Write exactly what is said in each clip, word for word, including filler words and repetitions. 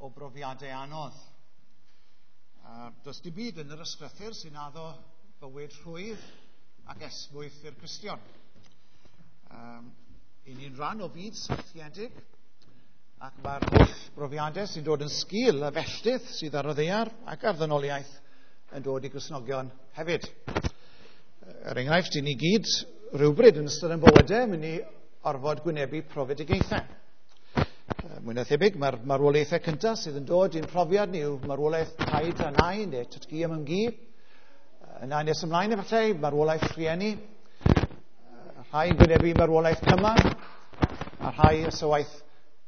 o brofiadau anodd. A does dim byd yn yr ysgrythur sy'n addo bywyd rhwydd ac esmwyth i'r Cristion. Um, I ni'n rhan o fyd syrthiedig, ac mae'r holl brofiadau sy'n dod yn sgil y felltith sydd ar y ddaear ac ar ddynoliaeth yn dod i Gristnogion hefyd. Er enghraifft, i ni gyd rhywbryd yn ystod yn bywydau mynd i orfod gwynebu profedigaethau. Mwy na thebyg, mae'r marwolaethau cyntaf sydd yn dod i'n profiad ni yw marwolaeth taid a nain neu tad-cu a mam-gu. Yna nes ymlaen efallai, marwolaeth rhieni. Rhai yn gwynebu marwolaeth cymar, a rhai ysywaeth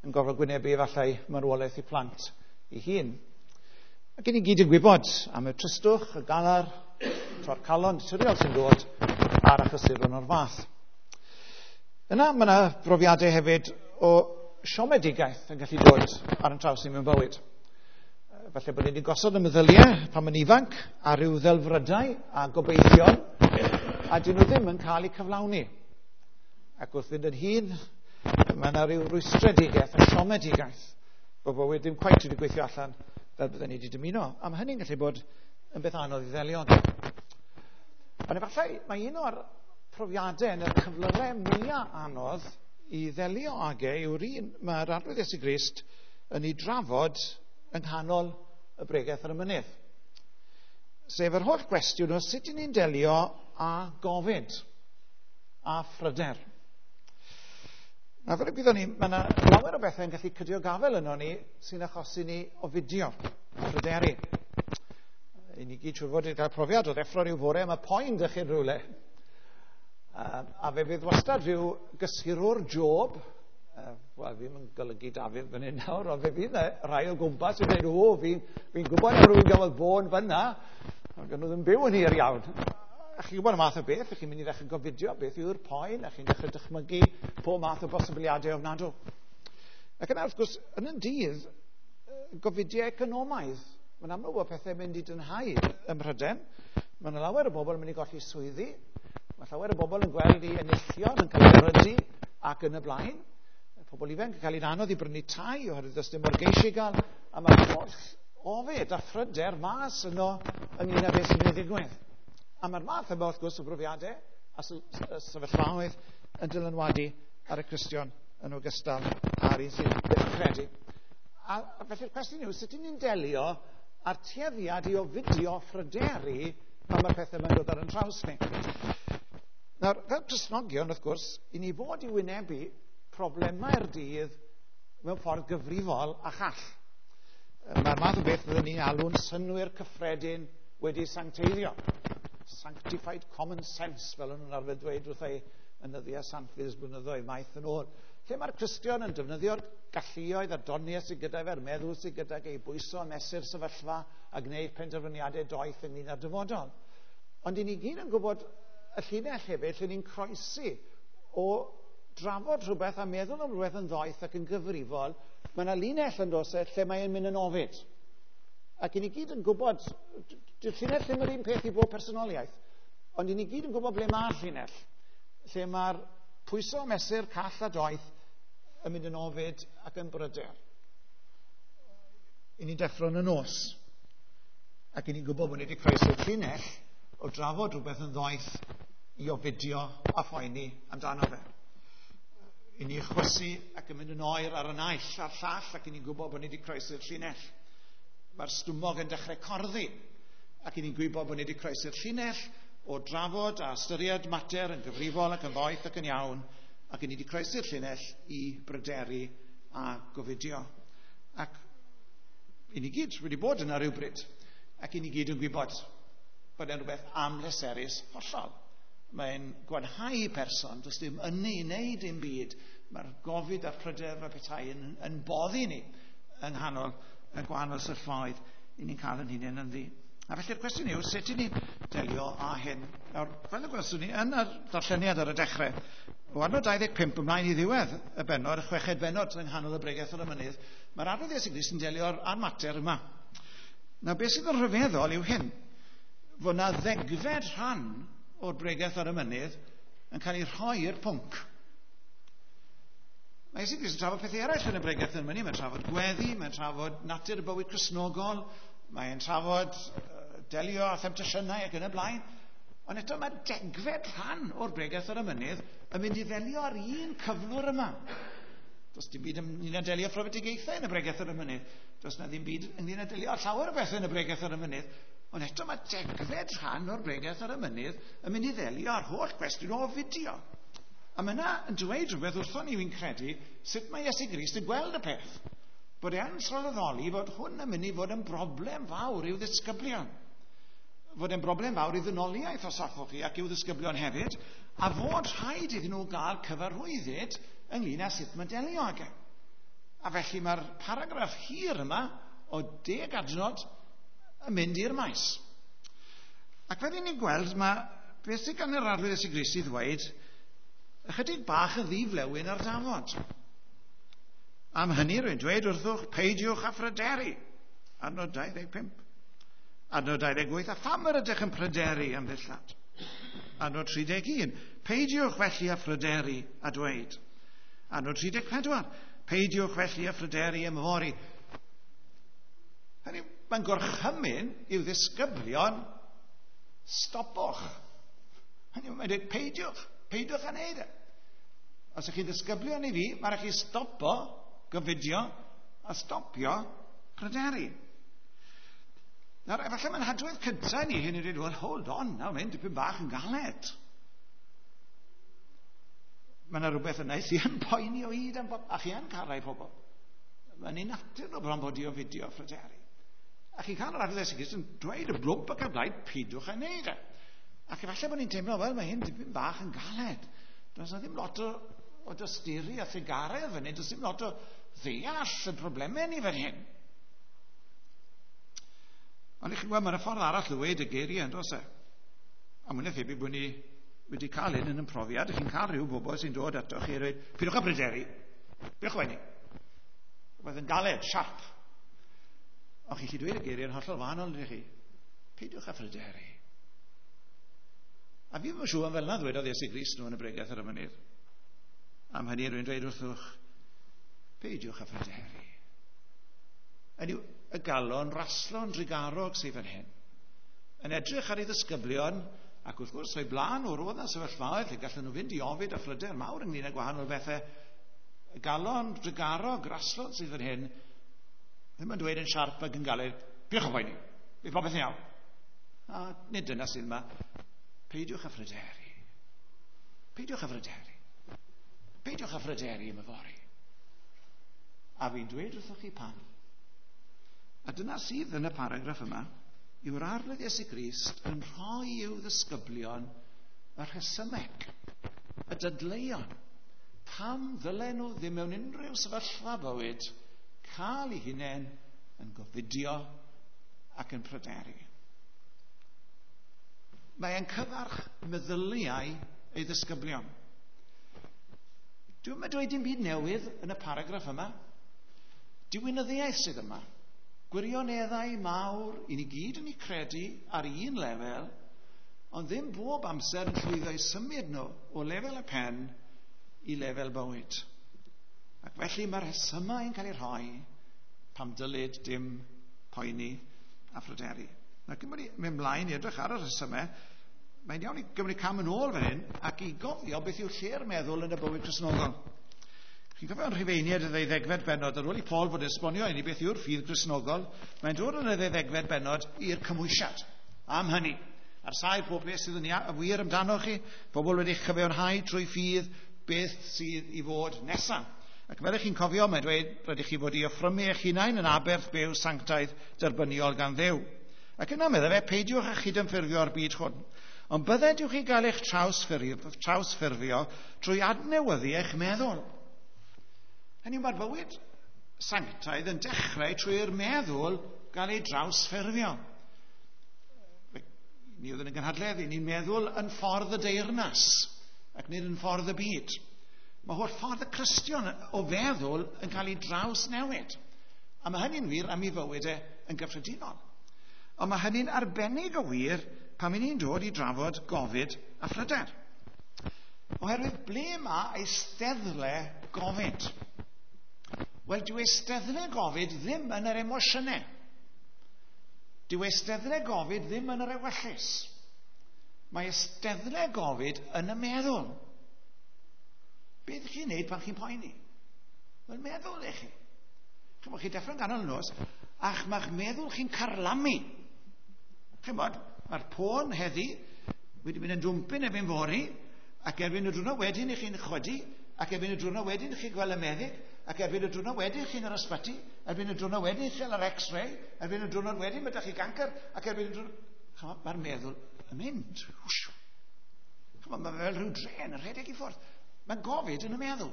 yn gorfod gwynebu efallai marwolaeth i plant i hun. Ac i ni gyd yn gwybod am y tristwch, y galar, torcalon naturiol sy'n dod ar achlysuron o'r fath. Yna mae yna brofiadau hefyd o siomedigaeth yn gallu dod ar yn traws ni mewn bywyd. Falle bod ni wedi gosod y meddyliau pan mae'n ifanc ar ryw ddelfrydau a gobeithion, a dyn nhw ddim yn cael eu cyflawni. Ac wrth fynd yn hŷn, mae yna ryw rwystredigaeth a siomedigaeth bod bywyd ddim cweit wedi gweithio allan fel bydden ni wedi dymuno. A mae hynny'n gallu bod yn beth anodd i ddelio. Ond efallai mae un o'r profiadau yn y cyflyrau mwyaf anodd i ddelio ag e yw'r un mae'r Arglwydd Iesu Grist yn ei drafod yng nghanol y bregaeth ar y mynydd. Sef yr holl gwestiwn o sut 'y ni'n delio â gofid a phryder. Na, fel y gwyddon ni, mae yna lawer o bethau yn gallu cydio gafel yno ni sy'n achosi ni ofidio, pryderu. I ni gyd siŵr fod wedi cael profiad o ddeffro rhyw fore, mae poen 'da chi'n rhywle. Uh, a fe fydd wastad rhyw gysurwr Job, uh, wel, fi'n yn golygu Dafydd fan hyn nawr, ond fe fydd yna rhai o gwmpas yn dweud, o, fi'n fi gwybod am rhywun gafodd bôn fyna, ond nhw ddim byw yn hir iawn. A chi'n gwybod y math o beth, chi'n mynd i ddechrau gofidio beth yw'r poen, a chi'n dechrau dychmygu pob math o bosibiliadau ofnadw. Ac yna, wrth gwrs, yn y dydd, gofidiau economaidd. Mae'n amlwg bod pethau'n mynd i dynhau ym Mhrydain. Mae yna lawer o bobl yn mynd i golli swyddi. Mae llawer o bobl yn gweld i enillion yn cael ei erydu ac yn y blaen. Pobl ifanc yn cael ei anodd i brynu tai oherwydd does dim morgeisi i gael. A mae'r holl ofid a phryder mas yno ynglyn â beth sy'n mynd i ddigwydd. A mae'r math yma, wrth gwrs, o brofiadau a sefyllfaoedd yn dylanwadu ar y Cristion yn ogystal â'r un sydd ddim yn credu. A, a felly'r cwestiwn yw, sut ydyn ni'n delio â'r tueddiad i ofidio phryderu pan mae'r pethau yma'n dod ar yn traws ni? Nawr, fel Cristnogion, wrth gwrs, i ni fod i wynebu problemau'r dydd mewn ffordd gyfrifol a chall. Mae'r math o beth fyddwn ni'n alw'n synnwyr cyffredin wedi sancteiddio. Sanctified common sense, fel o'n nhw'n arfer dweud wrtha i yn nyddiau Sant Fis blynyddoedd maith yn ôl. Lle mae'r Cristion yn defnyddio'r galluoedd a'r doniau sydd gyda fe'r meddwl sydd gyda fe i bwyso a mesur sefyllfa a gwneud penderfyniadau doeth ynglyn â'r dyfodol. Ond i ni gyd yn gwybod y llinell hefyd lle ni'n croesi o drafod rhywbeth a meddwl am rhywbeth yn ddoeth ac yn gyfrifol, mae yna linell yn dos e lle mae'n mynd yn ofid. Ac i ni gyd yn gwybod, dyw'r llinell ddim yr un peth i bob personoliaeth, ond i ni gyd yn gwybod ble mae'r llinell, lle mae'r pwyso mesur call a doeth yn mynd yn ofid ac yn bryder. I ni'n deffro yn y nos, ac i ni'n gwybod bod ni wedi croesi'r llinell o drafod rhywbeth yn ddoeth i ofidio a phoeni amdano fe. I ni chwysu ac yn mynd yn oer ar y naill a'r llall ac i ni'n gwybod bod ni wedi croesi'r llinell. Mae'r stumog yn dechrau corddi ac i ni'n gwybod bod ni wedi croesi'r llinell o drafod a ystyried mater yn gyfrifol ac yn ddoeth ac yn iawn, ac i ni wedi croesi'r llinell i bryderu a gofidio. Ac i ni gyd wedi bod yna rhywbryd, ac i ni gyd yn gwybod bod e'n rhywbeth amhleserus hollol. Mae'n gwanhau person, does dim ynni i wneud dim byd. Mae'r gofid a'r pryder fel petai yn, yn boddi ni yng nghanol y gwahanol sefyllfaoedd i ni'n cael yn hunain ynddi. A felly'r cwestiwn yw, sut i ni'n delio â hyn? Nawr, fel y gwelson ni yn yr darlleniad ar y dechrau, o adnod dau ddeg pump ymlaen i ddiwedd y bennod, y chweched bennod yng nghanol y bregaeth ar y mynydd, mae'r Arglwydd Iesu Grist yn delio â'r, â'r mater yma. Nawr, beth sydd yn rhyfeddol yw hyn, fod na ddegfed rhan o'r bregaeth ar y mynydd yn cael ei rhoi i'r pwnc. Mae Iesu Grist yn trafod pethau eraill yn y bregeth yn mynydd. Mae'n trafod gweddi, mae'n trafod natur y bywyd Cristnogol, mae'n trafod delio â themtasiynau ac yn y blaen. Ond eto mae degfed rhan o'r bregeth ar y mynydd yn mynd i ddelio ar un cyflwr yma. Does dim byd ynglyn â delio profedigaethau yn y bregeth ar y mynydd. Does na ddim byd ynglyn â delio â llawer o bethau yn y bregeth ar y mynydd. Ond eto mae degfed rhan o'r bregeth ar y mynydd yn mynd i ddelio â'r holl gwestiwn o ofidio. A mae yna yn dweud rhywbeth wrthon ni, fi'n credu, sut mae Iesu Grist yn gweld y peth. Bod e'n sylweddoli fod hwn yn mynd i fod yn broblem fawr i'w ddisgyblion. Fod e'n broblem fawr i ddynoliaeth os hoffwch chi ac i'w ddisgyblion hefyd, a fod rhaid iddyn nhw gael cyfarwyddyd ynglyn â sut mae delio ag e. A felly mae'r paragraff hir yma o deg adnod yn mynd i'r maes. Ac fel ni'n gweld, mae beth sydd gan yr Arglwydd Iesu Grist i ddweud ychydig bach yn ddiflewyn ar dafod. Am hynny rwy'n dweud wrthwch, peidiwch â phryderu. Adnod dau ddeg pump. Adnod dau ddeg wyth, a pham yr ydych yn pryderu am ddillad? Adnod tri deg un, peidiwch felly â phryderu a dweud. Adnod tri deg pedwar, peidiwch felly â phryderu am yfory. Hynny, mae'n gorchymyn i'w ddisgyblion, stopwch. Hynny, mae'n dweud, peidiwch, peidiwch â wneud e. Os ydych chi'n ddisgyblion i fi, mae'n rhaid chi stopo, gofidio, a stopio pryderu. Nawr, efallai mae'n hadwedd cyntaf ni hyn i ddweud, well, hold on, nawr mae'n dipyn bach yn galed. Mae yna rhywbeth yna sy'n yn poeni o hyd am bob, a chi yn cael rai pobl. Mae'n ei natur nhw bron bod i ofidio phryderu. A chi'n cael yr Arglwydd Iesu Grist yn dweud y blwmp ac y blaid, peidiwch â wneud e. Ac efallai bod ni'n teimlo, wel, mae hyn dipyn bach yn galed. Does yna ddim lot o, o dosturi a thugaredd fan hyn, does ddim lot o ddeall y problemau ni fan hyn. Ond i chi'n gweld, mae'n ffordd arall o ddweud y geiriau, yn does e? A mwy na thebyg bod ni wedi cael hyn yn ein profiad. Chi'n cael rhyw bobl sy'n dod ato chi a dweud, peidiwch â pryderu, peidiwch â poeni. Rhywbeth yn galed, siarp. Ond chi'n gallu dweud y geiriau yn hollol wahanol, ydych chi? Peidiwch â phryderu. A fi ddim yn siŵr am fel yna ddwedodd Iesu Grist nhw yn y bregeth ar y mynydd. Am hynny rwy'n dweud wrthwch, peidiwch â phryderu. Hynny yw, y galon raslon drugarog sydd fan hyn. Yn edrych ar ei ddisgyblion, ac wrth gwrs, o'i blaen nhw roedd yna sefyllfaoedd lle gallen nhw fynd i ofid a phryder mawr ynglyn â gwahanol bethau. Y galon drugarog raslon sydd fan hyn, ddim yn dweud yn siarp ac yn galed, peidiwch â phoeni, bydd popeth yn iawn. A nid dyna sydd yma. Peidiwch â phryderu. Peidiwch â phryderu. Peidiwch â phryderu am yfory. A fi'n dweud wrthych chi pam. A dyna sydd yn y paragraff yma, yw'r Arglwydd Iesu Grist yn rhoi i'w ddisgyblion y rhesymeg, y dadleuon, pam ddylen nhw ddim mewn unrhyw sefyllfa bywyd cael eu hunain yn gofidio ac yn pryderu. Mae e'n cyfarch meddyliau ei ddisgyblion. Dwi'm yn dweud dim byd newydd yn y paragraff yma. Diwinyddiaeth sydd yma. Gwirioneddau mawr i ni gyd yn eu credu ar un lefel, ond ddim bob amser yn llwyddo i symud nhw o lefel y pen i lefel bywyd. Ac felly mae'r rhesymau yn cael eu rhoi pam dylid dim poeni a phryderu. Nawr, cyn bod ni mynd mlaen i edrych ar y rhesymau, mae'n iawn i gymryd cam yn ôl fan hyn ac i gofio beth yw lle'r meddwl yn y bywyd Cristnogol. Chi'n cofio yn Rhufeiniaid y ddeuddegfed bennod, ar ôl i Paul fod yn esbonio i ni beth yw'r ffydd Gristnogol, mae'n dod yn y ddeuddegfed bennod i'r cymhwysiad. Am hynny, ar sail pob beth sydd yn wir amdano chi, pobl wedi chyfiawnhau trwy ffydd, beth sydd i fod nesaf. Ac fel ych chi'n cofio, mae'n dweud, rydych chi fod i offrymu eich hunain yn aberth byw sanctaidd derbyniol gan Dduw. Ac yna meddai fe, peidiwch â chydymffurfio â'r byd hwn. Ond bydded i'w chi gael eich trawsffurfio, trawsffurfio trwy adnewyddu eich meddwl. Hynny yw, mae'r bywyd sanctaidd yn dechrau trwy'r meddwl gael ei drawsffurfio. Ni oedd yn y gynhadledd, ni'n meddwl yn ffordd y deyrnas ac nid yn ffordd y byd. Mae holl ffordd y Cristion o feddwl yn cael ei drawsnewid. A mae hynny'n wir am ei fywyd e yn gyffredinol. Ond mae hynny'n arbennig o wir pan 'y ni'n dod i drafod gofid a phryder. Oherwydd ble mae eisteddle gofid? Wel, dyw eisteddle gofid ddim yn yr emosiynau. Dyw eisteddle gofid ddim yn yr ewyllys. Mae eisteddle gofid yn y meddwl. Beth chi'n neud pan chi'n poeni? Wel, meddwl i chi. Chymod, chi'n deffro'n ganol y nos, a'ch mae'ch meddwl chi'n carlamu. Chymod, mae'r pôn heddi wedi mynd yn dwmpyn erbyn fory, ac erbyn y diwrnod wedyn i chi'n chwydu, ac erbyn y diwrnod wedyn i chi'n gweld y meddyg, ac erbyn y diwrnod wedyn chi'n yr ysbyty, erbyn y diwrnod wedyn chi'n yr x-ray, erbyn y diwrnod wedyn mae 'da chi gancer, ac erbyn y diwrnod... Chymod, mae'r meddwl yn mynd. Chymod, mae fel rhyw dren yn rhedeg i ffwrdd. Mae gofid yn y meddwl.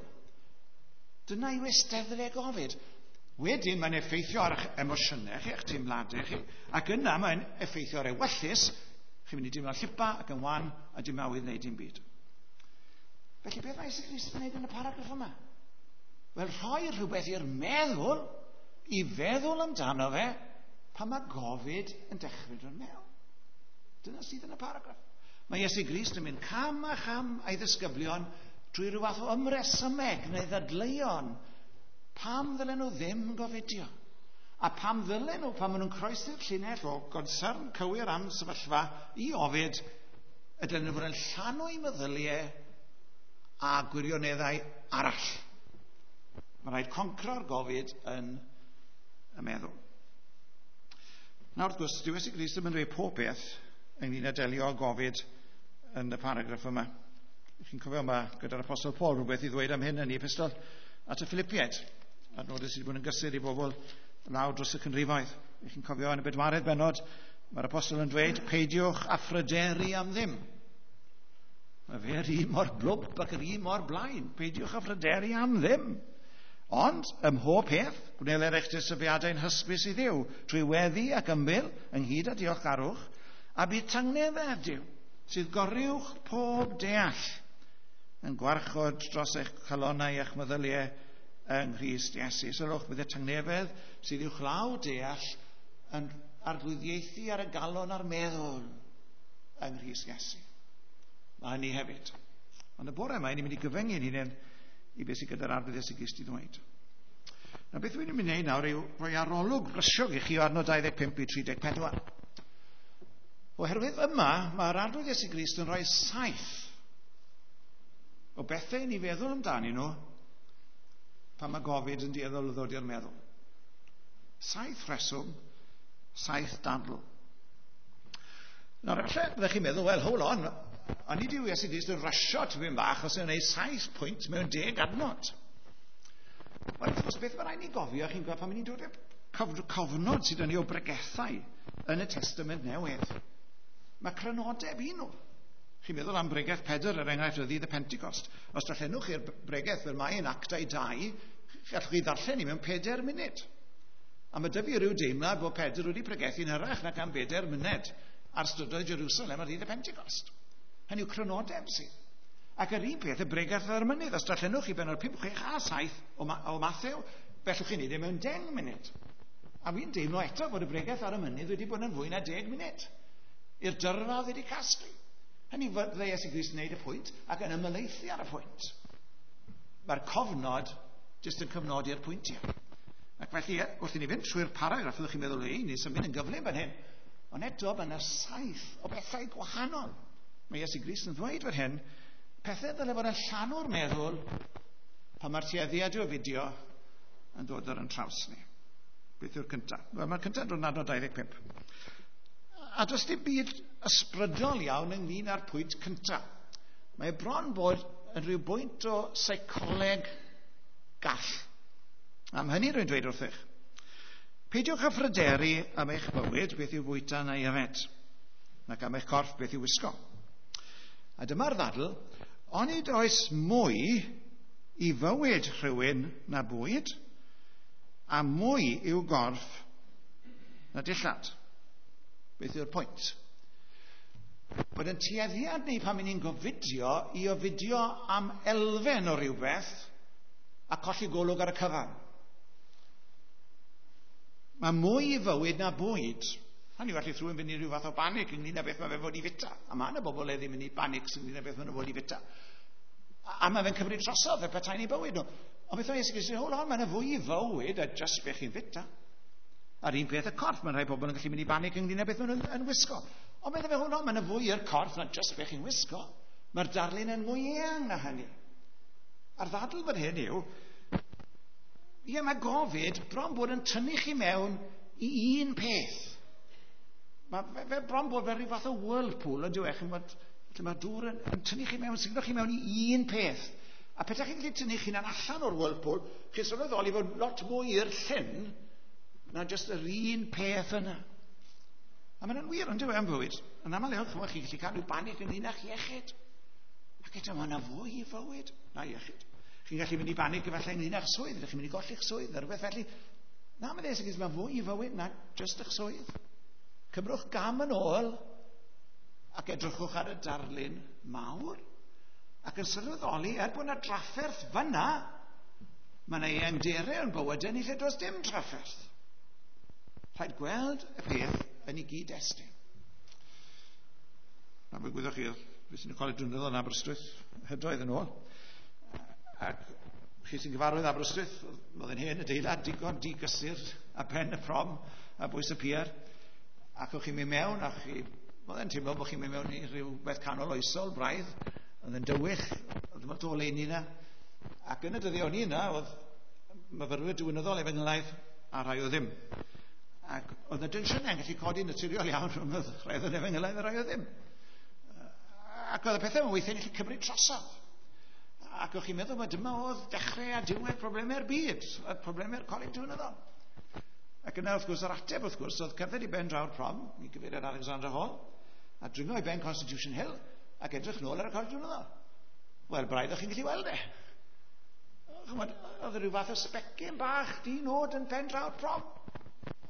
Dyna yw eisteddle gofid. Wedyn mae'n effeithio ar eich emosiynau chi, eich teimladau chi, ac yna mae'n effeithio ar ewyllys. Chi'n mynd i deimlo'n llipa ac yn wan a dim awydd wneud dim byd. Felly beth mae Iesu Grist yn gwneud yn y paragraff yma? Wel, rhoi rhywbeth i'r meddwl, i feddwl amdano fe, pan mae gofid yn dechrau dod mewn. Dyna sydd yn y paragraff. Mae Iesu Grist yn mynd cam a cham a'i ddisgyblion drwy rhyw fath o ymresymeg neu ddadleuon. Pam ddylen nhw ddim gofidio? A pam ddylen nhw, pan maen nhw'n croesi'r llinell o gonsern cywir am sefyllfa i ofid, y dylen nhw fod yn llanw i meddyliau a gwirioneddau arall. Mae rhaid concro'r gofid yn y meddwl. Nawr, wrth gwrs, dyw Iesu Grist ddim yn dweud pob peth ynglyn â delio â gofid yn y paragraff yma. Chi'n cofio yma gyda'r Apostol Paul rhywbeth i ddweud am hyn yn ei epistol at y Philippiaid, adnodau sydd wedi bod yn gysur i bobl lawr dros y canrifoedd. Chi'n cofio yn y bedwaredd bennod, mae'r Apostol yn dweud, peidiwch â phryderu am ddim. Mae fe'r un mor blwmp ac yr un mor blaen. Peidiwch â phryderu am ddim. Ond, ym mhob peth, gwneler eich dysyfiadau'n hysbys i Dduw, trwy weddi ac ymbil, ynghyd â diolchgarwch, a bydd tangnefedd Duw, sydd goruwch pob deall, yn gwarchod dros eich calonnau a'ch meddyliau yng Nghrist Iesu. Sylwch, bydd y tangnefedd sydd uwchlaw deall yn arglwyddiaethu ar y galon a'r meddwl yng Nghrist Iesu. Mae hynny hefyd. Ond y bore yma, ni'n mynd i gyfyngu'n hunain i beth sydd gyda'r Arglwydd Iesu Grist i ddweud. Nawr, beth dwi'n mynd i wneud nawr yw rhoi arolwg brysiog i chi o adnod dau ddeg pump i tri deg pedwar. Oherwydd yma, mae'r Arglwydd Iesu Grist yn rhoi saith o bethau i ni feddwl amdanyn nhw pan mae gofid yn dueddol o ddod i'r meddwl. Saith rheswm, saith dadl. Nawr, efallai byddech chi'n meddwl, well, hold on, ond nid yw Iesu Grist yn rysio tipyn bach os yw'n gwneud saith pwynt mewn deg adnod. Wel, wrth gwrs, beth mae rhaid ni gofio, chi'n gweld pan ni'n dod i'r cofnod sydd yn ei o bregethau yn y Testament Newydd. Mae crynodeb i nhw. Chi'n meddwl am bregeth Pedr, er enghraifft, o ddydd y Pentecost. Os darllenwch chi'r bregeth fel mae yn Actau dau, gallwch chi ddarllen i mewn pedair munud. A mae 'da fi ryw deimlad bod Pedr wedi pregethu'n hyrach nac am bedair munud ar strydoedd Jerusalem ar ddydd y Pentecost. Hynny yw crynodeb sydd. Ac yr un peth y bregeth ar y mynydd. Os darllenwch chi bennod pump, chwech a saith o, Ma o Mathew, bellwch chi wneud e mewn deng munud. A fi'n deimlo eto bod y bregeth ar y mynydd wedi bod yn fwy na deg munud. I'r dyrfa oedd wedi casglu. Hynny fydde Iesu Grist yn gwneud y pwynt ac yn ymhelaethu ar y pwynt. Mae'r cofnod jyst yn cyfnodi'r pwyntiau. Ac felly, wrth i ni fynd trwy'r paragraff, fyddwch chi'n meddwl, ei, ni'n symud yn gyflym fan hyn. Ond eto, mae yna saith o bethau gwahanol. Mae Iesu Grist yn ddweud fan hyn, pethau ddyle fod yn llanw'r meddwl pan mae'r tueddiad o ofidio yn dod ar yn traws ni. Beth yw'r cyntaf? Wel, mae'r cyntaf yn dod yn adnod dau ddeg pump. A does dim byd ysbrydol iawn ynglyn â'r pwynt cyntaf. Mae bron bod yn rhyw bwynt o seicoleg gall. Am hynny rwy'n dweud wrthych. Peidiwch â phryderu am eich bywyd, beth yw fwyta neu yfed, nac am eich corff, beth yw wisgo. A dyma'r ddadl, onid oes mwy i fywyd rhywun na bwyd, a mwy i'w gorff na dillad. Beth yw'r pwynt? Bod yn tueddiad ni pan ni'n gofidio i ofidio am elfen o rhywbeth a colli golwg ar y cyfan. Mae mwy i fywyd na bwyd. Hynny yw, allith rhywun fynd i ryw fath o banig ynglyn â beth mae fe fod i fita. A mae yna bobl heddiw mynd i banics ynglyn â beth maen nhw fod i fita. A, a mae fe'n cymryd drosodd fel petai'n eu bywyd nhw. Ond beth mae Iesu Grist yn hold on, mae'n fwy i fywyd a just beth chi'n fita. A'r un peth y corff, mae'n rhai pobl yn gallu mynd i banig ynglyn â beth maen nhw'n yn wisgo. Ond beth fe hold on, mae'n fwy i'r corff na just beth chi'n wisgo. Mae'r darlun yn mwy eang na hynny. A'r ddadl fan hyn yw, ie, mae gofid bron bod yn tynnu chi mewn i un peth. Mae fe, fe bron bod fel rhyw fath o whirlpool yn diwedd, chimod, lle mae dŵr yn, yn tynnu chi mewn, signo chi mewn i un peth. A petaech chi'n gallu tynnu chi'n allan o'r whirlpool, chi'n sylweddoli fod lot mwy i'r llyn na jyst yr un peth yna. A mae'n wir yn diwedd am fywyd. Yn aml iawn, chymod, chi'n gallu cael rhyw banig ynglyn â'ch iechyd. Ac eto, mae yna fwy i fywyd na iechyd. Chi'n gallu mynd i banig efallai ynglyn â'ch swydd, ydych chi'n mynd i golli'ch swydd, neu rhywbeth felly. Na, mae'n ddweud, mae fwy i fywyd na jyst eich swydd. Cymrwch gam yn ôl ac edrychwch ar y darlun mawr. Ac yn sylweddoli, er bod yna drafferth fyna, mae yna eangderau yn bywydau ni lle does dim trafferth. Rhaid gweld y peth yn ei gyd-destun. Na, fe gwyddoch chi, fi sy'n y coleg diwinyddol yn Aberystwyth, hydoedd yn ôl. Ac chi sy'n gyfarwydd Aberystwyth, oedd yn hen adeilad digon digysur a pen y prom a bwys y pier. Ac o'ch chi'n mynd mewn, a chi, oedd e'n teimlo bod chi'n mynd mewn i rhyw beth canol oesol, braidd, oedd yn dywych, oedd yn o oleuni yna. Ac yn y dyddiau o'n i yna, oedd myfyrwyr diwinyddol efengylaidd a rhai o ddim. Ac oedd y tensiynau yn gallu codi naturiol iawn rhwng y rhai oedd yn efengylaidd a rhai o ddim. Ac oedd y pethau yma weithiau'n gallu cymryd drosodd. Ac o'ch chi'n meddwl, mae dyma oedd dechrau a diwedd problemau'r byd, a problemau'r coleg diwinyddol. Ac yna, wrth gwrs, yr ateb, wrth gwrs, oedd cerdded i ben draw'r prom, i gyfeiriad Alexandra Hall, a dringo i ben Constitution Hill, ac edrych nôl ar y coleg diwinyddol. Wel, braidd o'ch chi'n gallu weld e. Chymod, oedd rhyw fath o sbecyn bach di nod yn pen draw'r prom.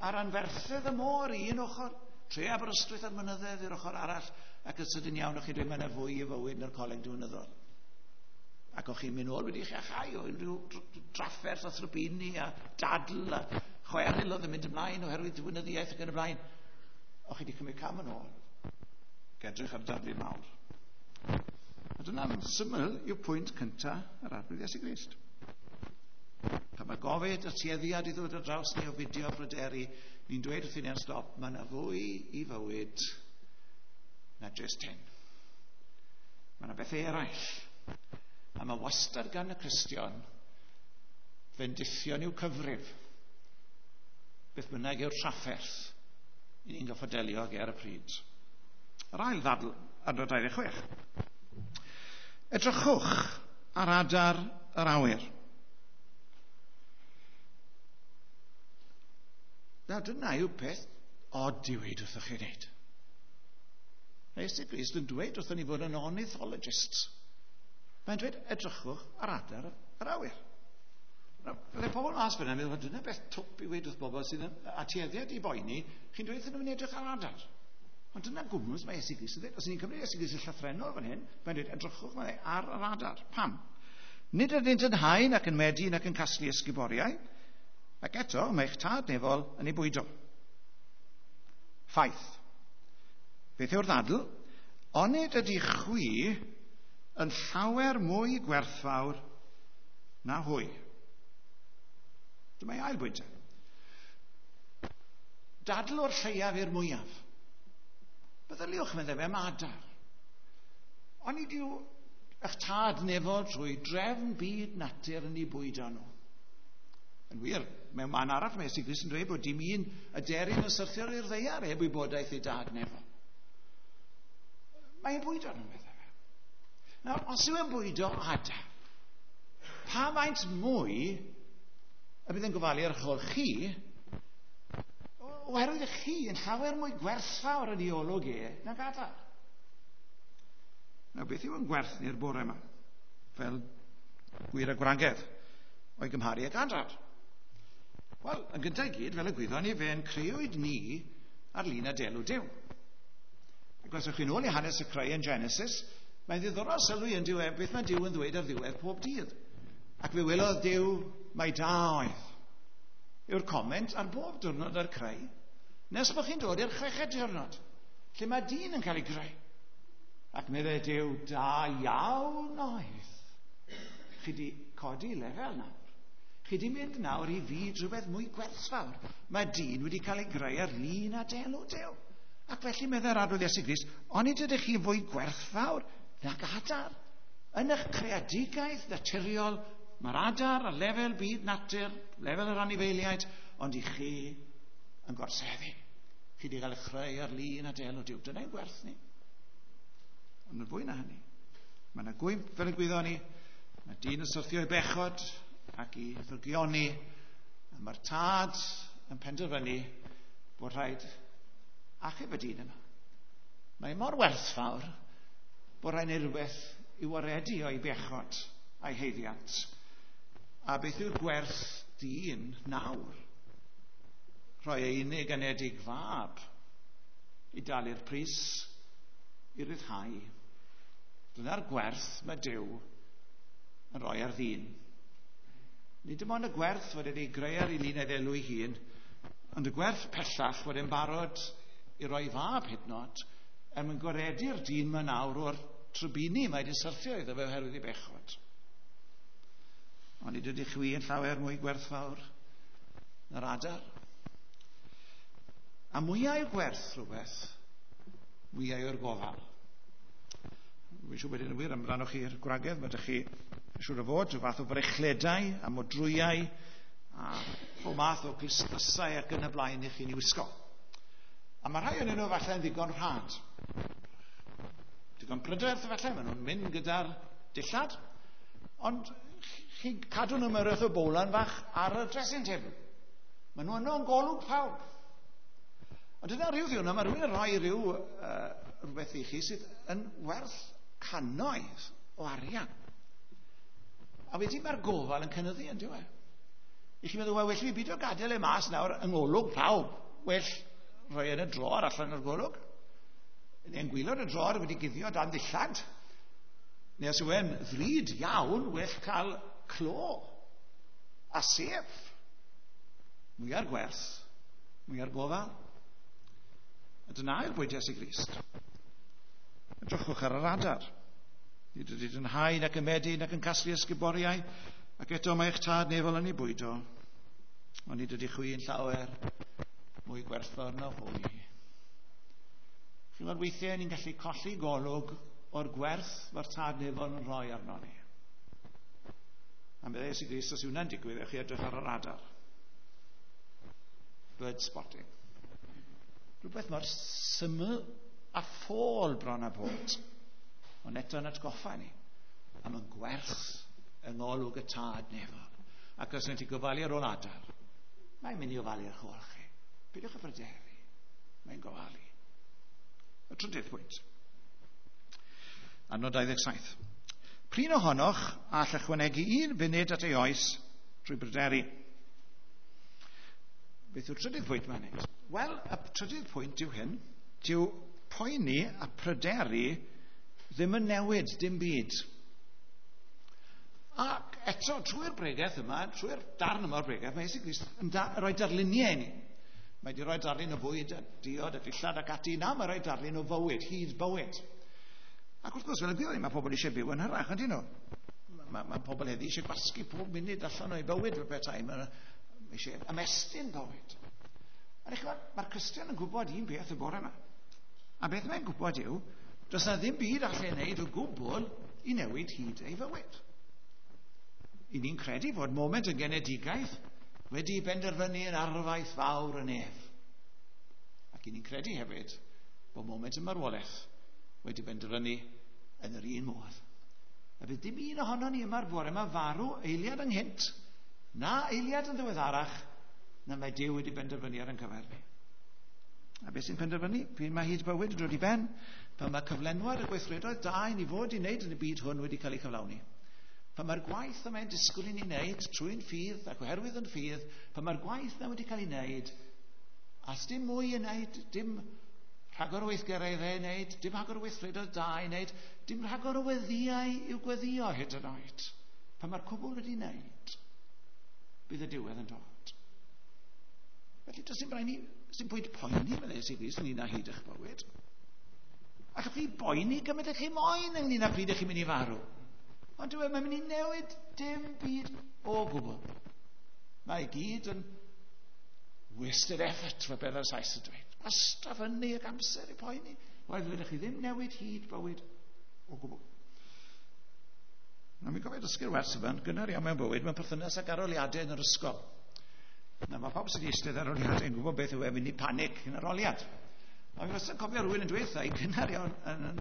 A'r anferthedd y môr i un ochr, tre Aberystwyth a'r mynyddoedd i'r ochr arall, ac yn sydyn iawn o'ch chi'n dweud mae yna fwy i fywyd na'r coleg diwinyddol. Ac o'ch chi'n mynd nôl wedi chi achau o unrhyw drafferth a thrybini a dadl a chweryl oedd yn mynd ymlaen oherwydd diwinyddiaeth ac yn y blaen. O'ch chi wedi cymryd cam yn ôl. Ac edrych ar darlun mawr. A dyna'n syml yw pwynt cyntaf yr Arglwydd Iesu Grist. Pan mae gofid y tueddiad i ddod ar draws ni o fideo pryderu, ni'n dweud wrth ni'n stop, mae yna fwy i fywyd na jyst hyn. Mae yna bethau eraill. A mae wastad gan y Cristion fendithion i'w cyfrif. Beth bynnag yw'r trafferth i ni'n gorfod delio ag e ar y pryd. Yr ail ddadl, adnod dau ddeg chwech. Edrychwch ar adar yr awyr. Nawr dyna yw peth od i weid wrthych chi wneud. Mae Iesu Grist yn dweud wrthyn ni fod yn ornithologists. Mae'n dweud, edrychwch ar adar yr awyr. Nawr, byddai pobl mas fyna yn meddwl, dyna beth twp i weid wrth bobl sydd yn atueddiad i boeni, chi'n dweud wrthyn nhw'n edrych ar adar. Ond dyna gwmws mae Iesu Grist yn dweud. Os ni'n cymryd Iesu Grist yn llythrennol fan hyn, mae'n dweud, edrychwch mae ar yr adar. Pam? Nid ydynt yn hau nac yn medi nac yn casglu ysguboriau, ac eto mae eich tad nefol yn ei bwydo. Ffaith. Beth yw'r ddadl? Onid ydy chwi yn llawer mwy gwerthfawr na hwy? Dyma ei ail bwynt. Dadl o'r lleiaf i'r mwyaf. Meddyliwch, meddai fe, am adar. Onid yw eich tad nefol trwy drefn byd natur yn ei bwydo nhw? Yn wir, mewn man arall mae Iesu Grist yn dweud bod dim un aderyn yn syrthio i'r ddaear heb wybodaeth ei dad nefol. Mae'n bwydo nhw, meddai fe. Nawr, os yw e'n bwydo adar, pa faint mwy y bydd yn gofalu ar eich ôl chi, oherwydd chi yn llawer mwy gwerthfawr yn ei olwg e nag adar. Nawr, beth yw yn gwerth ni'r bore yma? Fel gwir a gwragedd o'i gymharu ag adar. Wel, yn gyntaf i gyd, fel y gwyddon ni, fe'n creuwyd ni ar lun a delw Duw. Ac os ewch chi'n ôl i hanes y creu yn Genesis, mae'n ddiddorol sylwi yn diwedd beth mae Duw yn ddweud ar ddiwedd pob dydd. Ac fe welodd Duw mai da oedd. Yw'r comment ar bob diwrnod ar creu, nes bod chi'n dod i'r chweched diwrnod, lle mae dyn yn cael ei greu. Ac meddai Duw, da iawn oedd. Chi di codi lefel nawr. Chi di mynd nawr i fyd rhywbeth mwy gwerthfawr. Mae dyn wedi cael ei greu ar lun a delw Duw. Ac felly meddai'r Arglwydd Iesu Grist, onid ydych chi fwy gwerthfawr nag adar? Yn eich creadigaeth naturiol, mae'r adar ar lefel byd natur, lefel yr anifeiliaid, ond i chi yn gorseddu. Chi wedi cael eich creu ar lun a delw Duw. Dyna'n gwerth ni. Ond yn fwy na hynny, mae yna gwymp fel y gwyddon ni, mae dyn yn syrthio i bechod ac i ddrygioni, a mae'r tad yn penderfynu bod rhaid achub y dyn yma. Mae mor werthfawr bod rhaid neud rhywbeth i waredu o'i bechod a'i haeddiant. A beth yw'r gwerth dyn nawr? Rhoi ei unig anedig fab i dalu'r pris i ryddhau. Dyna'r gwerth mae Duw yn rhoi ar ddyn. Nid dim ond y gwerth fod wedi greu ar ei lun a'i ddelw ei hun, ond y gwerth pellach fod e'n barod i roi fab hyd yn oed, er mwyn gwaredu'r dyn yma nawr o'r trybini mae wedi syrthio iddo fe oherwydd ei bechod. Ond nid ydych chwi yn llawer mwy gwerthfawr na'r adar. A mwyaf yw gwerth rhywbeth, mwyaf yw'r gofal. Fi'n siŵr bod hyn yn wir amdanoch chi'r gwragedd, mae ydych chi siŵr o fod rhyw fath o frechledau a modrwyau a pob math o glustysau ac yn y blaen i chi'n ei wisgo. A mae rhai o'n nhw falle yn ddigon rhad. Digon prydferth falle, maen nhw'n mynd gyda'r dillad, ond chi'n cadw nhw mewn rhywbeth o bowlan fach ar y dressing table. Maen nhw yno yn golwg pawb. Ond dyna rhyw ddiwrnod, mae rhywun yn rhoi rhyw uh, rhywbeth i chi sydd yn werth cannoedd o arian. A wedyn mae'r gofal yn cynyddu yn diwedd. I chi'n meddwl, wel, well fi beidio gadael e mas nawr yng ngolwg pawb. Well rhoi yn y dror allan o'r golwg. Neu'n gwaelod y dror wedi guddio dan ddillad. Neu os yw e'n ddrud iawn, well cael clo a sef. Mwyar gwerth, mwyar gofal. A dyna yw'r bwyd Iesu Grist. Edrychwch ar yr adar. Nid ydynt yn hau nac yn medi nac yn casglu ysguboriau, ac eto mae eich tad nefol yn ei bwydo. Ond nid ydych chwi yn llawer mwy gwerthfawr na hwy. Chi'n gwybod, weithiau ni'n gallu colli golwg o'r gwerth mae'r tad nefol yn rhoi arno ni. A meddai Iesu Grist, os yw hwnna'n digwydd, ewch chi edrych ar yr adar. Bird spotting. Rhywbeth mor syml a ffôl bron a bod. Ond eto yn atgoffa ni am yn gwerth yng ngolwg y tad nefol. Ac os ydych chi'n gofalu ar ôl adar, mae'n mynd i ofalu ar ôl chi. Peidiwch â phryderu. Mae'n gofalu. Y trydydd pwynt. Adnod dau ddeg saith. Prin ohonoch all ychwanegu un funud at ei oes trwy bryderu. Beth yw'r trydydd pwynt mae'n neud? Wel, y trydydd pwynt yw hyn. Dyw poeni a pryderu ddim yn newid dim byd. Ac eto, trwy'r bregeth yma, trwy'r darn yma o'r bregeth, mae Iesu Grist yn da, rhoi darluniau i ni. Mae wedi rhoi darlun o fwyd a diod a dillad ac ati. Na, mae'n rhoi darlun o fywyd, hyd bywyd. Ac wrth gwrs, fel y gwyddwn ni, mae pobl eisiau byw yn hyrach, ydyn nhw? Mae, mae pobl heddi eisiau gwasgu pob munud allan o'i bywyd fel petai. Mae eisiau ymestyn bywyd. Ond eich mae'r Cristion yn gwybod un beth y bore yma. A beth mae'n gwybod yw, does na ddim byd allai wneud o gwbl i newid hyd ei fywyd. I ni'n credu fod moment y genedigaeth wedi benderfynu yn arfaeth fawr y nef. Ac i ni'n credu hefyd bod moment y marwolaeth wedi benderfynu yn yr un modd. A bydd dim un ohono ni yma'r bore yma farw eiliad ynghynt, na eiliad yn ddiweddarach, na mae Duw wedi benderfynu ar ein cyfer ni. A beth sy'n penderfynu? Pryd mae hyd bywyd yn dod i ben, pan mae cyflenwad y gweithredoedd da i ni fod i wneud yn y byd hwn wedi cael ei cyflawni. Pan mae'r gwaith y mae'n disgwyl i ni wneud trwy'n ffydd ac oherwydd yn ffydd, pan mae'r gwaith na wedi cael ei wneud, a dim mwy i wneud, dim rhagor o weithgareddau i wneud, dim rhagor o weithredoedd da i wneud, dim rhagor o weddïau i'w gweddio hyd yn oed. Pan mae'r cwbl wedi wneud, bydd y diwedd yn dod. Felly, does dim rhaid ni, dim pwynt poeni, meddai Iesu Grist, ynglyn â hyd eich bywyd. Allwch chi boeni gymaint ych chi moyn ynglyn â pryd ych chi'n mynd i farw. Ond dyw e, mae'n mynd i newid dim byd o gwbl. Mae i gyd yn wasted effort, fel beth ar Sais yn dweud. Gwastraff ynni ac amser i poeni. Wel, fedrwch chi ddim newid hyd bywyd o gwbl. Nawr, mi'n gofio dysgu'r wers yma, yn gynnar iawn mewn bywyd, mewn perthynas ag arholiadau yn yr ysgol. Nawr, mae pawb sydd wedi eistedd arholiadau yn gwybod beth yw e mynd i panic yn arholiad. Ond fi wastad yn cofio rhywun yn dweud wrtha i gynnar iawn yn, yn,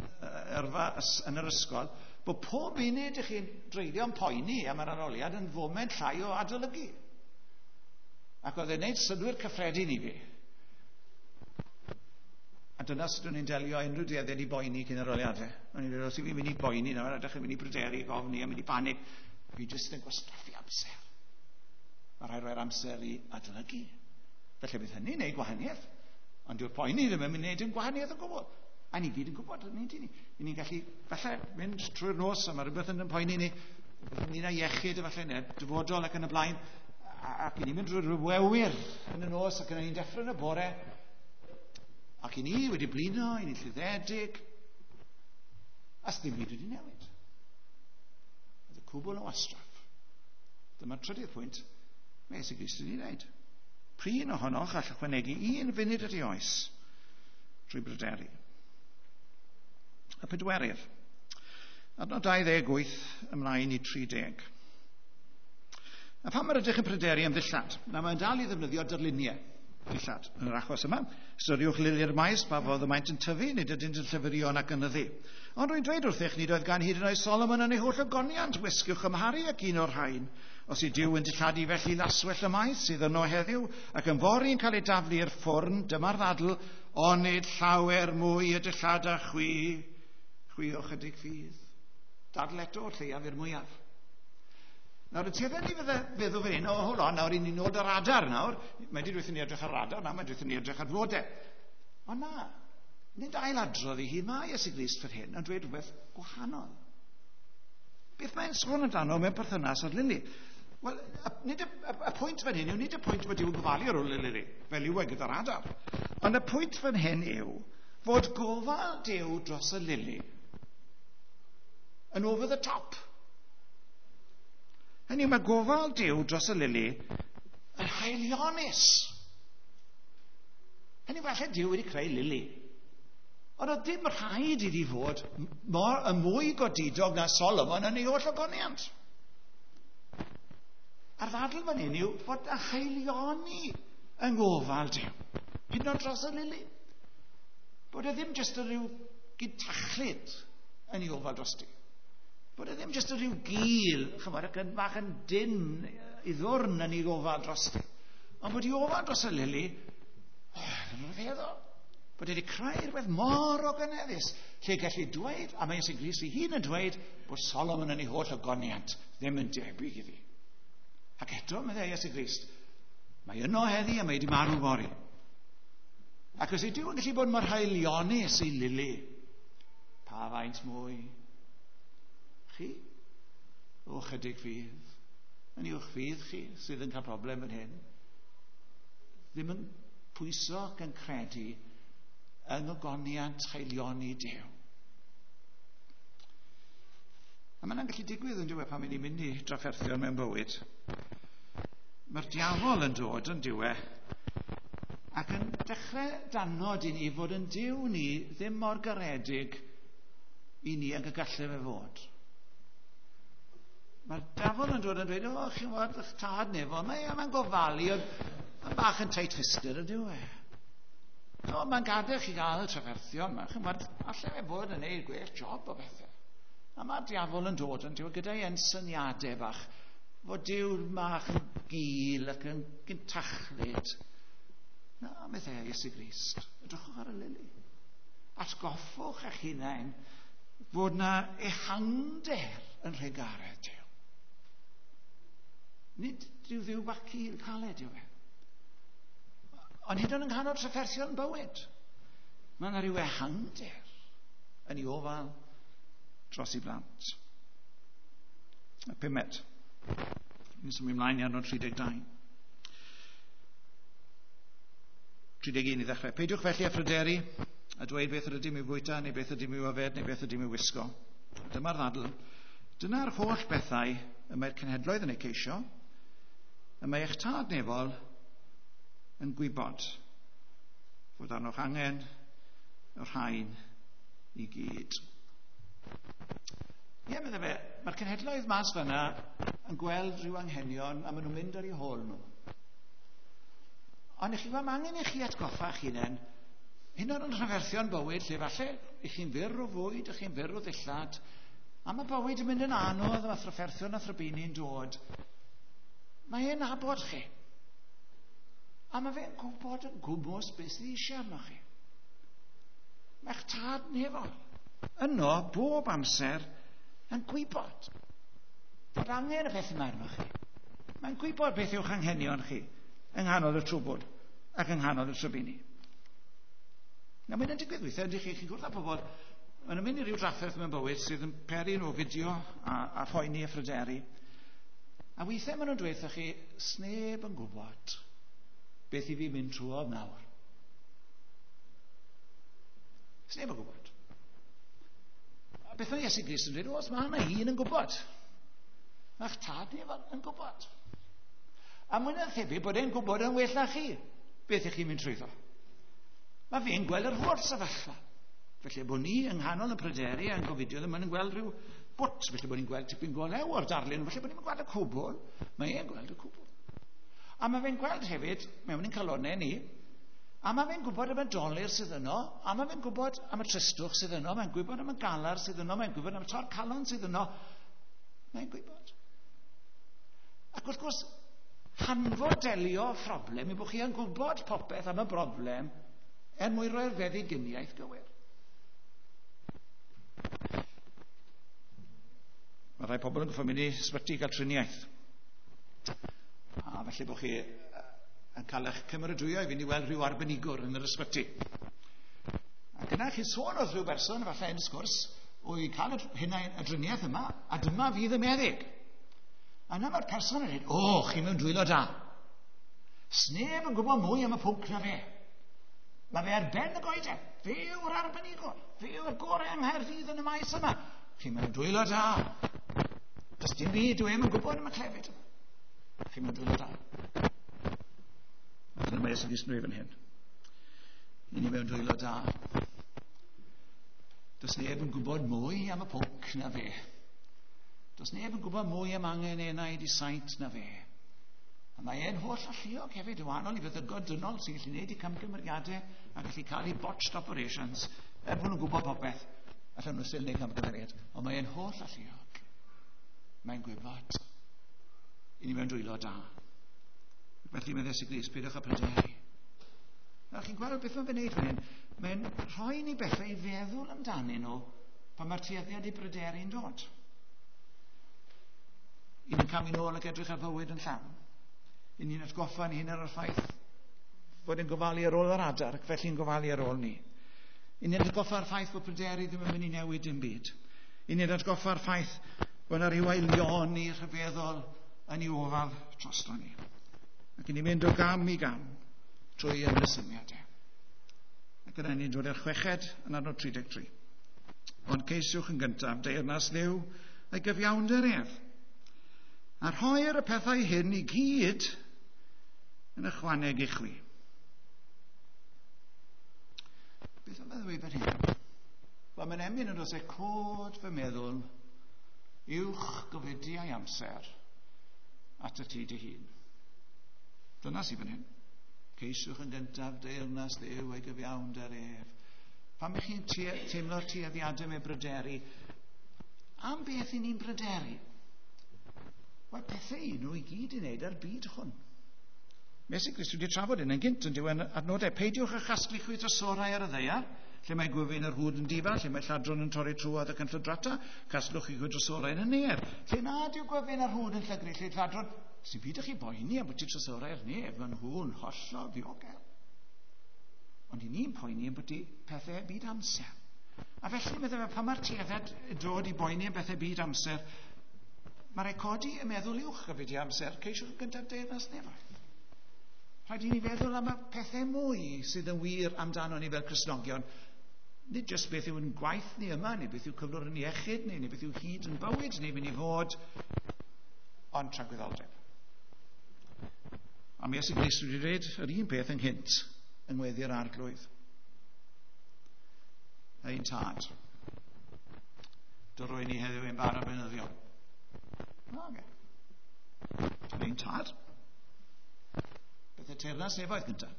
yrfa yn yr ysgol, bod pob munud ych chi'n dreulio'n poeni am yr arholiad yn foment llai o adolygu. Ac oedd e'n gwneud synnwyr cyffredin i fi. A dyna sut o'n i'n delio unrhyw dueddiad i boeni cyn arholiadau. O'n i'n dweud, os i fi'n mynd i boeni nawr, a dechrau mynd i bryderu, gofni, a mynd i panig, fi jyst yn gwastraffu amser. Mae rhaid rhoi'r amser i adolygu. Felly bydd hynny'n neud gwahaniaeth. Ond dyw'r poeni ddim yn mynd i wneud yn gwahaniaeth o gwbl. A ni gyd yn gwybod hynny, dyn ni. I ni'n gallu, falle, mynd trwy'r nos, a mae rhywbeth yn poeni ni, rhywbeth ynglyn â iechyd, efallai, neu dyfodol ac yn y blaen. Ac i ni'n mynd drwy'r wewyr yn y nos, ac yna ni'n deffro yn y bore. Ac i ni wedi blino, i ni'n lluddedig. A s'dim byd wedi newid. Oedd y cwbl o wastraff. Dyma'r trydydd pwynt mae Iesu Grist wedi wneud. Prin ohonoch all ychwanegu un funud at ei oes drwy bryderu. Y pedwerydd. Adnod dau ddeg wyth ymlaen i tri deg. A pam yr ydych yn pryderu am ddillad? Na, mae'n dal i ddefnyddio darluniau dillad yn yr achos yma. Ystyriwch lili'r maes, pa fodd y maent yn tyfu, nid ydynt yn llyfrio nac yn yddu. Ond rwy'n dweud wrthych, nid oedd gan hyd yn oed Solomon yn ei holl ogoniant wisg i'w chymharu ac un o'r rhain. Os yw Duw yn dilladu felly laswellt y maes sydd yno heddiw, ac yn fory yn cael ei daflu i'r ffwrn, dyma'r ddadl, onid llawer mwy y dillad a chwi, chwi o chydig ffydd. Dadl eto o'r lleiaf i'r mwyaf. Nawr, y tuedden ni fydde feddwl fan hyn, o, hold on, nawr, i ni nôl ar adar nawr. Mae di dweud ni edrych ar adar, nawr mae dweud ni edrych ar flodau. Ond na, nid ailadrodd i hi, mae Iesu Grist fan hyn yn dweud rhywbeth gwahanol. Beth mae'n sôn amdano mewn perthynas â'r lili? Wel, nid y, y, y pwynt fan hyn yw, nid y pwynt bod Duw'n gofalu ar ôl y lili, fel yw e gyda'r adar. Ond y pwynt fan hyn yw fod gofal Duw dros y lili yn over the top. Hynny yw, mae gofal Duw dros y lili yn haelionus. Hynny yw, falle Duw wedi creu lili. Ond oedd dim rhaid iddi fod mor, y mwy godidog na Solomon yn ei holl ogoniant. A'r ddadl fan hyn yw fod y haelioni yng ngofal Duw, hyd yn oed dros y lili. Bod e ddim jyst yn rhyw gydtachlyd yn ei ofal drosti. Bod e ddim jyst yn rhyw gil, chymod, ac yn bach yn dyn i ddwrn yn ei ofal drosti. Ond bod ei ofal dros y lili, oh, yn rhyfeddol. Bod e wedi creu rhywbeth mor ogoneddus, lle gallu dweud, a mae Iesu Grist ei hun yn dweud, bod Solomon yn ei holl ogoniant ddim yn debyg iddi. Ac eto, meddai Iesu Grist, mae yno heddi a mae wedi marw fory. Ac os yw Duw yn gallu bod mor haelionus i lili, pa faint mwy? Chi? O chydig ffydd. Yn uwch ffydd chi sydd yn cael problem fan hyn. Ddim yn pwyso ac yn credu yng ngogoniant haelioni Duw. A mae'n gallu digwydd yn diwedd pan ni'n mynd i drafferthion mewn bywyd. Mae'r diafol yn dod yn diwedd ac yn dechrau danod i ni fod yn Duw ni ddim mor garedig i ni ag y gallai fe fod. Mae'r diafol yn dod yn dweud, o, chi'n gwybod, eich tad nefo, mae'n mae gofalu, ond mae'n bach yn tight-fisted yn diwedd. O, mae'n gadael chi gael y trafferthion, chi'n gwybod, allai fe fod yn neud gwell job o bethau. A mae'r diafol yn dod yn diwedd gyda'i ensyniadau bach, fod Duw bach yn gul ac yn gyntachlyd. Na, meddai Iesu Grist, edrychwch ar y lili. Atgoffwch eich hunain fod na ehangder yn rhegaredd Duw. Nid rhyw ddiw bach cul caled yw e. Ond hyd yn oed yng nghanol trafferthion bywyd, mae yna rhyw ehangder yn ei ofal dros ei blant. Y pumed. Ni'n symud ymlaen i adnod tri deg dau. tri deg un i ddechrau. Peidiwch felly â phryderu a dweud beth yr ydym i'w fwyta, neu beth ydym i'w yfed, neu beth ydym i'w wisgo. Dyma'r ddadl. Dyna'r holl bethau y mae'r cenhedloedd yn eu ceisio, y mae eich tad nefol yn gwybod fod arnoch angen y rhain i gyd. Ie, meddai fe, mae'r cenhedloedd mas fanna yn gweld rhyw anghenion a maen nhw'n mynd ar eu hôl nhw. Ond i chi, mae angen i chi atgoffa eich hunain, hyn oed yn rhyferthion bywyd, lle falle i chi'n fyr o fwyd, i chi'n fyr o ddillad, a mae bywyd yn mynd yn anodd, a thrafferthion a thrybini'n dod. Mae e'n nabod chi. A mae fe'n gwybod yn gwmws beth sydd eisiau arnoch chi. Mae'ch tad nefol yno bob amser yn gwybod fod angen y peth yma arnoch chi. Mae'n gwybod beth yw'ch anghenion chi yng nghanol y trwbwl ac yng nghanol y trybini. Nawr, mae'n digwydd weithiau, ydych chi, chi'n gwrdd â pobl, maen nhw'n mynd i ryw drafferth mewn bywyd sydd yn peri nhw fideo a, a phoeni a phryderu. A weithiau maen nhw'n dweud wrthoch chi, sneb yn gwybod beth i fi mynd trwodd nawr. Sneb yn gwybod. A beth mae Iesu Grist yn dweud, oes, mae yna un yn gwybod. Mae'ch tad ni yn gwybod. A mwy na thebyg bod e'n gwybod yn well na chi beth ych chi'n mynd trwyddo. Mae fe'n gweld yr holl sefyllfa. Felly bod ni yng nghanol y pryderu a'n gofidio ddim yn gweld rhyw bwt, felly bod ni'n gweld tipyn golew o'r darlun, felly bod ni'n gweld y cwbl, mae e'n gweld y cwbl. A mae fe'n gweld hefyd, mewn ein calonnau ni, a mae fe'n gwybod am y dolur sydd yno, a mae fe'n gwybod am y tristwch sydd yno, mae'n gwybod am y galar sydd yno, mae'n gwybod am y tor calon sydd yno, mae'n gwybod. Ac wrth gwrs, hanfod delio phroblem yw bod chi yn gwybod popeth am y broblem er mwyn roi'r feddyginiaeth gywir. Mae rhai pobl yn gorfod mynd i ysbyty i gael triniaeth. A felly bod chi yn cael eich cymeradwyo i fynd i weld rhyw arbenigwr yn yr ysbyty. Ac yna chi'n sôn wrth rhyw berson, efallai yn y sgwrs, o i cael y, y driniaeth yma, a dyma fydd y meddyg. A yna mae'r person yn dweud, o, chi mewn dwylo da. Sneb yn gwybod mwy am y pwnc na fe. Mae fe ar ben y goeden. Fe yw'r arbenigwr. Fe yw'r gorau yng Nghaerdydd yn y maes yma. Chi mewn dwylo da. Does dim byd dwi ddim yn gwybod am y clefyd yma. Chi mewn dwylo da. A dyna mae Iesu Grist yn dweud fan hyn. I ni mewn dwylo da. Does neb yn gwybod mwy am y pwnc na fe. Does neb yn gwybod mwy am angen enaid i saint na fe. A mae e'n holl alluog hefyd, yn wahanol i feddygod dynol sy'n gallu gwneud i camgymeriadau a gallu cael eu botched operations, er bod nhw'n gwybod popeth, allan nhw still wneud camgymeriad. Ond mae e'n holl alluog. Mae'n gwybod. I ni mewn dwylo da. Felly mae Iesu Grist, peidiwch â pryderu. Nawr chi'n gweld beth mae'n gwneud fan hyn? Mae'n rhoi ni bethau i feddwl amdanyn nhw pan mae'r tueddiad i bryderu'n dod. I ni'n camu nôl ac edrych ar fywyd yn llawn. I ni'n atgoffa ni hyn ar y ffaith bod e'n gofalu ar ôl yr adar ac felly'n gofalu ar ôl ni. I ni'n atgoffa'r ffaith bod pryderu ddim yn mynd i newid dim byd. I ni'n atgoffa'r ffaith bod yna rhyw aelioni rhyfeddol yn ei ofal drosto ni. Ac i ni'n mynd o gam i gam trwy ymresymiadau. Ac yna ni'n dod i'r chweched yn adnod tri deg tri. Ond ceisiwch yn gyntaf deyrnas Dduw a'i gyfiawnder ef. A rhoi'r y pethau hyn i gyd yn ychwaneg i chwi. Beth am ddweud fan hyn? Wel, mae'n emyn yn dod e cod fy meddwl uwch gofidiau amser at y ti dy hun. Dyna sydd fan hyn. Ceisiwch yn gyntaf deyrnas Dduw a'i gyfiawnder ef. Pan ych chi'n teimlo'r tueddiadau mewn bryderu, am beth i ni'n bryderu? Wel, pethau i nhw i gyd i wneud ar byd hwn. Iesu Grist wedi trafod hyn yn gynt yn diwedd adnodau. Peidiwch â chasglu chwi drysorau ar y ddaear, lle mae gwyfyn yr hwd yn difa, lle mae lladron yn torri trwodd ac yn llydrata, casglwch chi chwi drysorau yn y nef. Lle nad yw gwyfyn yr hwd yn llygru, lle lladron, sy'n byd chi boeni am bod ti drysorau ar nef, maen nhw'n hollol ddiogel. Ond i ni'n poeni am bod ti pethau byd amser. A felly, meddai fe, pan mae'r tueddiad dod i boeni am bethau byd amser, mae rhaid codi y meddwl uwch y byd i amser, ceisiwch yn gyntaf deyrnas nefoedd. Rhaid i ni feddwl am y pethau mwy sydd yn wir amdano ni fel Cristnogion Nid jyst beth yw'n gwaith ni yma, neu beth yw cyflwr yn iechyd ni, neu beth yw hyd yn bywyd ni mynd i fod, ond tragwyddoldeb. A mi Iesu Grist wedi dweud yr un peth ynghynt yng ngweddi'r Arglwydd. Ein tad, dyrwy ni heddiw ein bara beunyddiol. Okay. Ein tad. Beth y teyrnas nefoedd gyntaf?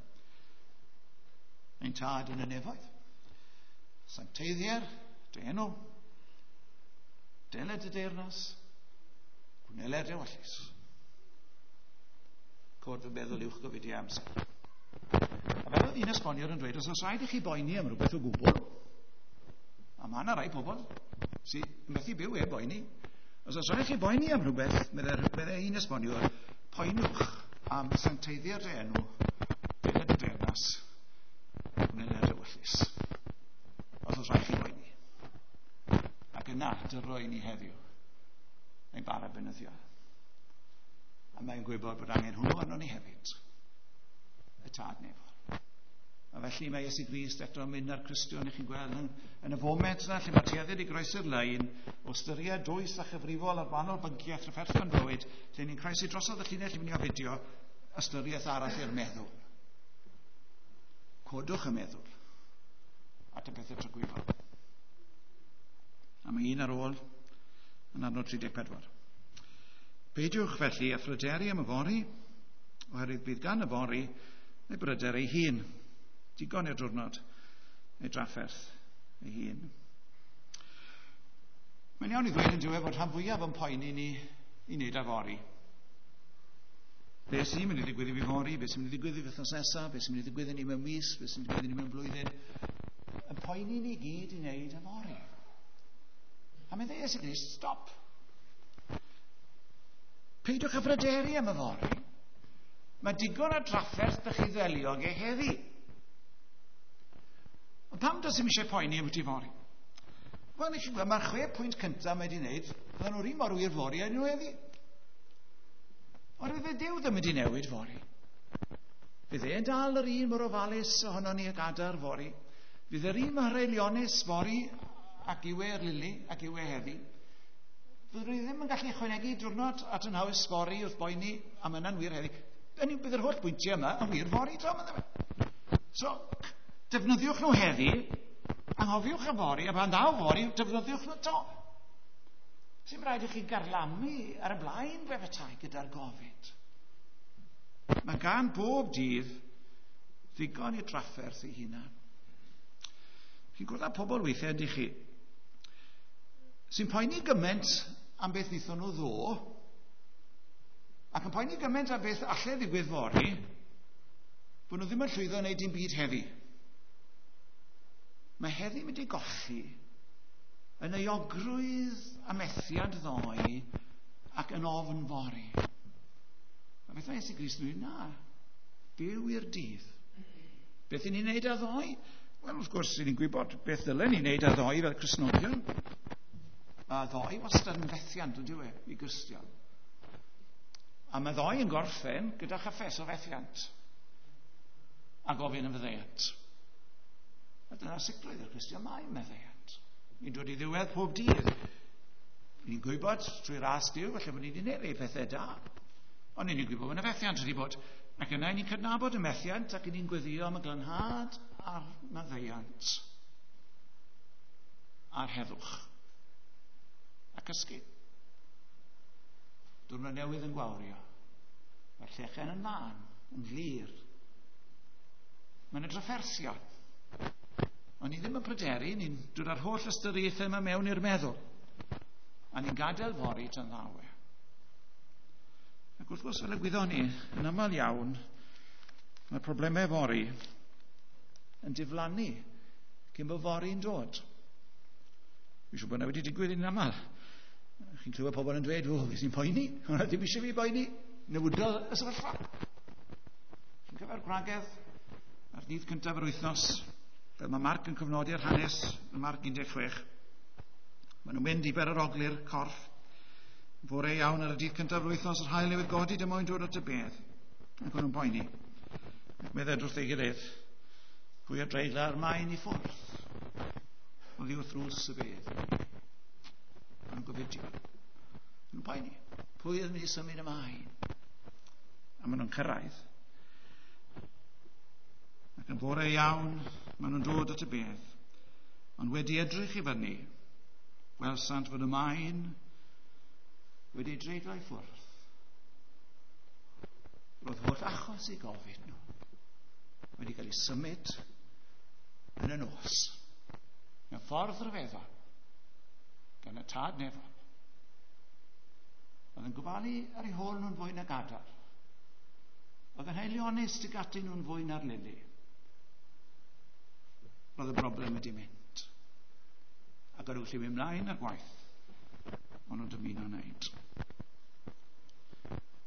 Ein tad yn y nefoedd. Sancteiddier dy enw, deled dy deyrnas, gwneler dy ewyllys. Cod fy meddwl uwch gofidiau amser. A fel oedd un esboniwr yn dweud, os oes rhaid i chi boeni am rhywbeth o gwbl, a mae yna rai pobl sy'n methu byw heb boeni, os oes rhaid i chi boeni am rhywbeth, meddai un esboniwr, poenwch am sancteiddier dy enw, deled dy deyrnas, gwneler dy ewyllys. Os oes rhaid chi boeni. Ac yna, dyroi ni heddiw, ein bara beunyddiol. A mae'n gwybod bod angen hwnnw arno ni hefyd. Y tad nefol. A felly mae Iesu Grist eto yn mynd â'r Cristion i chi'n gweld yn, yn y foment yna lle mae tueddiad i groesi'r lein o ystyried dwys a chyfrifol ar wahanol bynciau trafferthion bywyd, lle ni'n croesi drosodd y llinell i mynd i ofidio ystyriaeth arall i'r meddwl. Codwch y meddwl at y pethau tragwyddol. A mae un ar ôl yn adnod tri deg pedwar. Peidiwch felly â phryderu am yfory, oherwydd bydd gan yfory ei bryder ei hun. Digon i'r diwrnod ei drafferth ei hun. Mae'n iawn i ddweud yn diwedd fod rhan fwyaf yn poeni ni i wneud yfory. Be sy'n mynd i ddigwydd i fi fory, be sy'n mynd i ddigwydd i fi wythnos nesaf, be sy'n mynd i ddigwydd i ni mewn mis, be sy'n mynd i ddigwydd i ni mewn blwyddyn. Yn poeni ni gyd i wneud yfory. A mae'n dweud Iesu Grist, stop. Peidiwch â phryderu am yfory. Mae digon o drafferth ydych chi ddelio ag e heddi. Ond pam does dim eisiau poeni am yfory? Wel, chi'n gweld, mae'r chwe pwynt cyntaf mae wedi wneud, fydden nhw'r un mor wir fory â nhw heddi. Ond fydd Duw ddim wedi newid fory. Fydd e'n dal yr un mor ofalus ohono ni ag adar fory. Fydd yr un mor haelionus fory ac yw e'r lili ac yw e heddi. Fydd rwy ddim yn gallu ychwanegu diwrnod at yn haws fory wrth boeni am yna'n wir heddi. Bydd yr holl bwyntiau yma yn wir fory to. So, defnyddiwch nhw heddi, anghofiwch y fory, a pan ddaw fory, defnyddiwch nhw to. Sy'n rhaid i chi garlamu ar y blaen fe petai gyda'r gofid. Mae gan bob dydd ddigon i drafferth ei hunan. Chi'n gwrdd â pobl weithiau, ydych chi, sy'n poeni gymaint am beth wnaethon nhw ddo, ac yn poeni gymaint am beth allai ddigwydd fory, bod nhw ddim yn llwyddo wneud dim byd heddi. Mae heddi mynd i golli yn euogrwydd a methiant ddoe ac yn ofn fory. A beth mae Iesu Grist yn dweud? Na, byw i'r dydd. Beth i ni'n wneud â ddoe? Wel, wrth gwrs, ni'n gwybod beth ddylen ni wneud â ddoe fel Cristnogion. Mae ddoe wastad yn fethiant, yn dyw e, i Gristion. A mae ddoe yn gorffen gyda chyffes o fethiant a gofyn yn faddeuant. A dyna sicrwydd i'r Cristion, mae maddeuant. Ni'n dod i ddiwedd pob dydd. Ni'n gwybod trwy ras Duw, falle bod ni wedi gwneud rhai pethau da. Ond ni'n gwybod bod yna fethiant wedi bod. Ac yna ni'n cydnabod y methiant ac ni'n gweddio am y glanhad a'r maddeuant a'r heddwch. A cysgu. Diwrnod newydd yn gwawrio. Mae'r llechen yn lân, yn glir. Mae'n y drafferthion. Ond ni ddim yn pryderu, ni'n dod â'r holl ystyriaethau yma mewn i'r meddwl. A ni'n gadael fory tan ddawe. Ac wrth gwrs, fel y gwyddon ni, yn aml iawn, mae problemau fory yn diflannu cyn bod fory'n dod. Fi'n siŵr bod yna wedi digwydd yn aml. Chi'n clywed pobl yn dweud, o, fi sy'n poeni, hwnna ddim eisiau fi boeni, newidodd y sefyllfa. Chi'n cyfer gwragedd ar ddydd cyntaf yr wythnos, fel mae Marc yn cofnodi'r hanes yn Marc un deg chwech. Maen nhw'n mynd i berarogli'r corff. Fore iawn ar y dydd cyntaf yr wythnos, yr haul newydd godi, dim moyn dod at y bedd. Ac o'n nhw'n poeni. Ac meddai wrth ei gilydd, pwy a dreigla'r maen i ffwrdd. Oddi wrth drws y bedd. Maen nhw'n gofidio. Maen nhw'n poeni. Pwy oedd yn mynd i symud y maen? A maen nhw'n cyrraedd. Ac yn bore iawn, maen nhw'n dod at y bedd. Ond wedi edrych i fyny, gwelsant fod y maen wedi dreiglo i ffwrdd. Roedd holl achos i gofid nhw wedi cael ei symud yn y nos mewn ffordd ryfeddol gan y Tad Nefol. Oedd yn gofalu ar eu hôl nhw'n fwy nag adar. Oedd yn haelionus tuag atyn nhw'n fwy na'r lili. Roedd y broblem wedi mynd. Ac o'n nhw'n gallu mynd mlaen â'r gwaith o'n nhw'n dymuno wneud.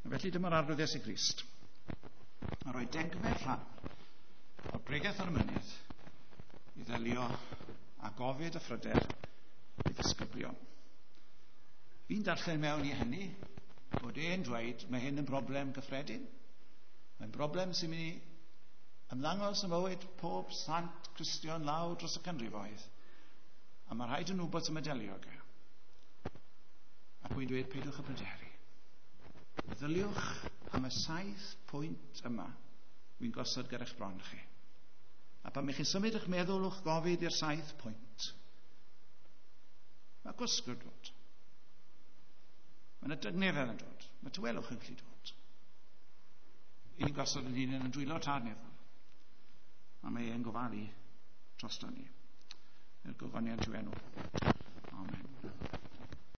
A felly dyma'r Arglwydd Iesu Grist a rhoi degfed rhan o'r Bregeth ar y Mynydd i ddelio â gofid a phryder i ddisgyblion. Fi'n darllen mewn i hynny bod e'n dweud mae hyn yn broblem gyffredin. Mae'n broblem sy'n mynd i ymddangos yn mywyd pob sant Cristion lawr dros y canrifoedd. A mae rhaid yn wybod sy'n delio ag e. Ac wy'n dweud peidiwch â pryderu. Meddyliwch am y saith pwynt yma wy'n gosod ger eich bron chi. A pan chi'n symud eich meddwl o'ch gofid i'r saith pwynt, mae gwsg yn dod. Mae yna dygnefedd yn dod. Mae tawelwch yn gallu dod. I ni'n gosod yn hunain yn dwylo Tad Nefol. A mae e'n gofalu drosto ni. I'r gogoniant i'w enw. Amen.